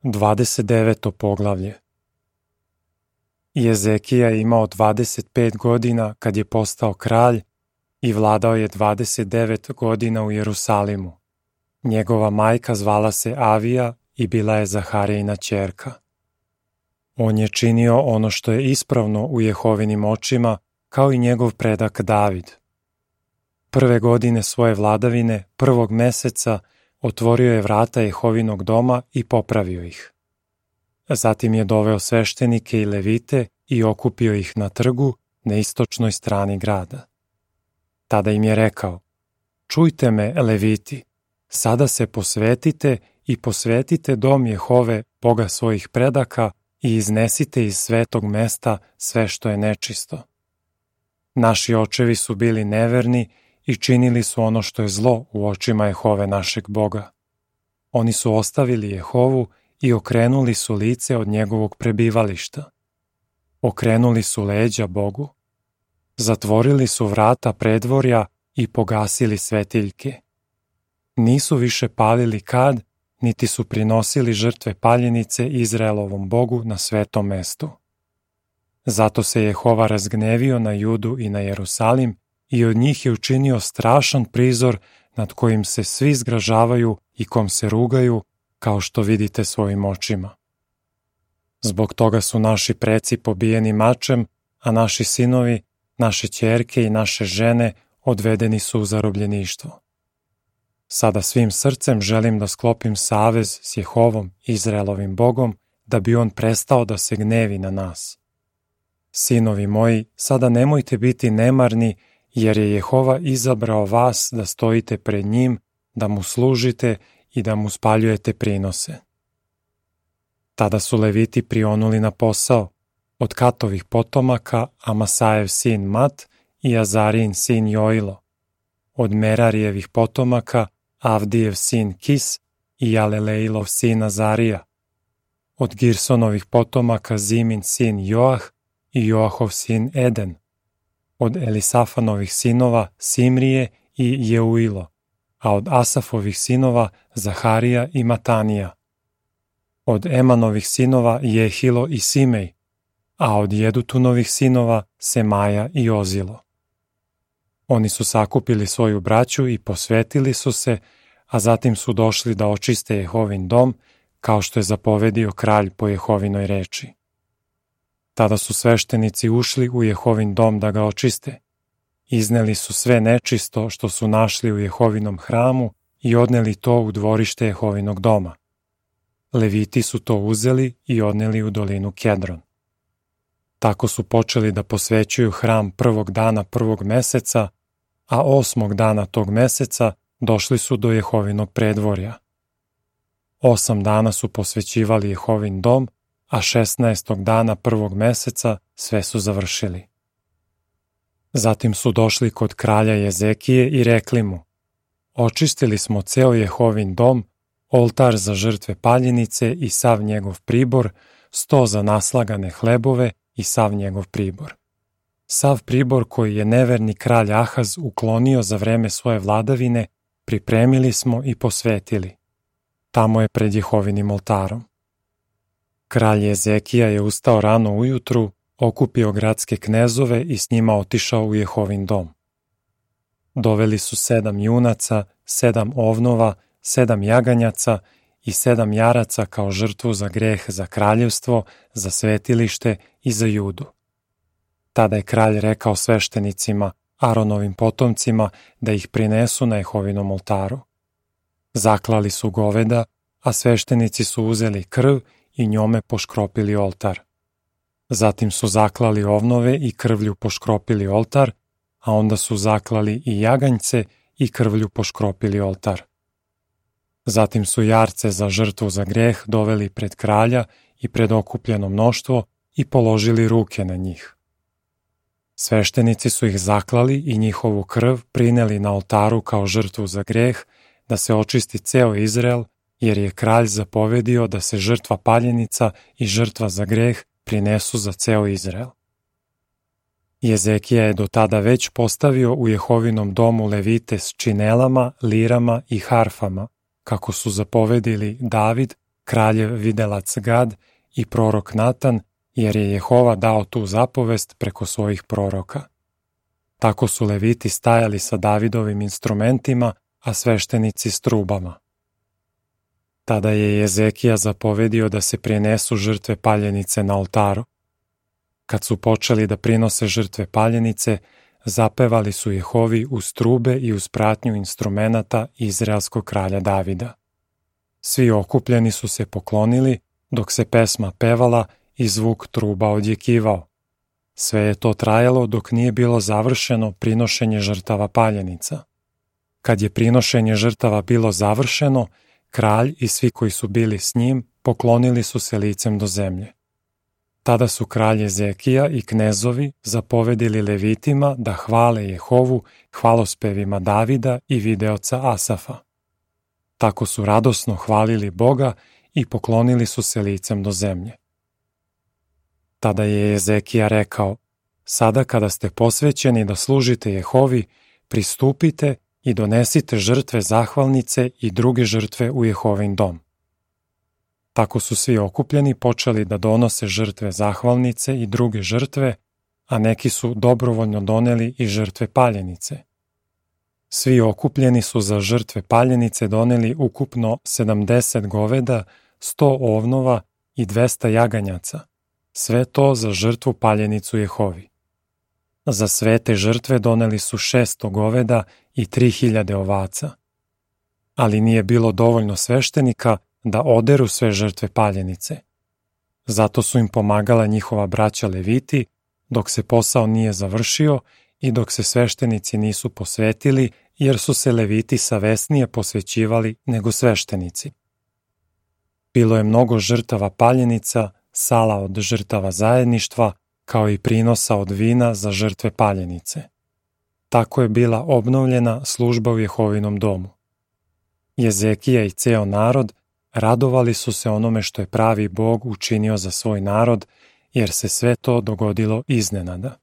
29. poglavlje. Jezekija je imao 25 godina kad je postao kralj i vladao je 29 godina u Jerusalimu. Njegova majka zvala se Avija i bila je Zaharijina ćerka. On je činio ono što je ispravno u Jehovinim očima, kao i njegov predak David. Prve godine svoje vladavine, 1. meseca, otvorio je vrata Jehovinog doma i popravio ih. Zatim je doveo sveštenike i levite i okupio ih na trgu na istočnoj strani grada. Tada im je rekao: "Čujte me, leviti, sada se posvetite i posvetite dom Jehove, Boga svojih predaka, i iznesite iz svetog mesta sve što je nečisto. Naši očevi su bili neverni i činili su ono što je zlo u očima Jehove našeg Boga. Oni su ostavili Jehovu i okrenuli su lice od njegovog prebivališta. Okrenuli su leđa Bogu. Zatvorili su vrata predvorja i pogasili svetiljke. Nisu više palili kad, niti su prinosili žrtve paljenice Izraelovom Bogu na svetom mestu. Zato se Jehova razgnevio na Judu i na Jerusalim i od njih je učinio strašan prizor nad kojim se svi zgražavaju i kom se rugaju, kao što vidite svojim očima. Zbog toga su naši preci pobijeni mačem, a naši sinovi, naše ćerke i naše žene odvedeni su u zarobljeništvo. Sada svim srcem želim da sklopim savez s Jehovom, Izraelovim Bogom, da bi on prestao da se gnevi na nas. Sinovi moji, sada nemojte biti nemarni, jer je Jehova izabrao vas da stojite pred njim, da mu služite i da mu spaljujete prinose." Tada su leviti prionuli na posao, od Katovih potomaka Amasajev sin Mat i Azarijin sin Joilo, od Merarijevih potomaka Avdijev sin Kis i Alelejlov sin Azarija, od Girsonovih potomaka Zimin sin Joah i Joahov sin Eden, od Elisafanovih sinova Simrije i Jeuilo, a od Asafovih sinova Zaharija i Matanija, od Emanovih sinova Jehilo i Simej, a od Jedutunovih sinova Semaja i Ozilo. Oni su sakupili svoju braću i posvetili su se, a zatim su došli da očiste Jehovin dom, kao što je zapovedio kralj po Jehovinoj reči. Tada su sveštenici ušli u Jehovin dom da ga očiste. Izneli su sve nečisto što su našli u Jehovinom hramu i odneli to u dvorište Jehovinog doma. Leviti su to uzeli i odneli u dolinu Kedron. Tako su počeli da posvećuju hram 1. dana 1. meseca, a 8. dana tog meseca došli su do Jehovinog predvorja. 8 dana su posvećivali Jehovin dom, a 16. dana 1. meseca sve su završili. Zatim su došli kod kralja Jezekije i rekli mu: "Očistili smo ceo Jehovin dom, oltar za žrtve paljenice i sav njegov pribor, sto za naslagane hlebove i sav njegov pribor. Sav pribor koji je neverni kralj Ahaz uklonio za vreme svoje vladavine, pripremili smo i posvetili. Tamo je pred Jehovinim oltarom." Kralj Jezekija je ustao rano ujutru, okupio gradske knezove i s njima otišao u Jehovin dom. Doveli su 7 junaca, 7 ovnova, 7 jaganjaca i 7 jaraca kao žrtvu za greh, za kraljevstvo, za svetilište i za Judu. Tada je kralj rekao sveštenicima, Aronovim potomcima, da ih prinesu na Jehovinom oltaru. Zaklali su goveda, a sveštenici su uzeli krv i njome poškropili oltar. Zatim su zaklali ovnove i krvlju poškropili oltar, a onda su zaklali i jaganjce i krvlju poškropili oltar. Zatim su jarce za žrtvu za greh doveli pred kralja i pred okupljeno mnoštvo i položili ruke na njih. Sveštenici su ih zaklali i njihovu krv prineli na oltaru kao žrtvu za greh, da se očisti ceo Izrael, jer je kralj zapovedio da se žrtva paljenica i žrtva za greh prinesu za ceo Izrael. Jezekija je do tada već postavio u Jehovinom domu levite s činelama, lirama i harfama, kako su zapovedili David, kraljev videlac Gad i prorok Natan, jer je Jehova dao tu zapovest preko svojih proroka. Tako su Leviti stajali sa Davidovim instrumentima, a sveštenici s trubama. Tada je Jezekija zapovedio da se prinesu žrtve paljenice na oltaru. Kad su počeli da prinose žrtve paljenice, zapevali su Jehovi uz trube i uz pratnju instrumenata izraelskog kralja Davida. Svi okupljeni su se poklonili, dok se pesma pevala i zvuk truba odjekivao. Sve je to trajalo dok nije bilo završeno prinošenje žrtava paljenica. Kad je prinošenje žrtava bilo završeno, kralj i svi koji su bili s njim poklonili su se licem do zemlje. Tada su kralj Jezekija i knezovi zapovedili Levitima da hvale Jehovu hvalospevima Davida i videoca Asafa. Tako su radosno hvalili Boga i poklonili su se licem do zemlje. Tada je Jezekija rekao: sada kada ste posvećeni da služite Jehovi, pristupite i donesite žrtve zahvalnice i druge žrtve u Jehovin dom. Tako su svi okupljeni počeli da donose žrtve zahvalnice i druge žrtve, a neki su dobrovoljno doneli i žrtve paljenice. Svi okupljeni su za žrtve paljenice doneli ukupno 70 goveda, 100 ovnova i 200 jaganjaca, sve to za žrtvu paljenicu Jehovi. Za sve te žrtve doneli su 600 goveda i 3000 ovaca. Ali nije bilo dovoljno sveštenika da oderu sve žrtve paljenice. Zato su im pomagala njihova braća Leviti, dok se posao nije završio i dok se sveštenici nisu posvetili, jer su se Leviti savesnije posvećivali nego sveštenici. Bilo je mnogo žrtava paljenica, sala od žrtava zajedništva, kao i prinosa od vina za žrtve paljenice. Tako je bila obnovljena služba u Jehovinom domu. Jezekija i ceo narod radovali su se onome što je pravi Bog učinio za svoj narod, jer se sve to dogodilo iznenada.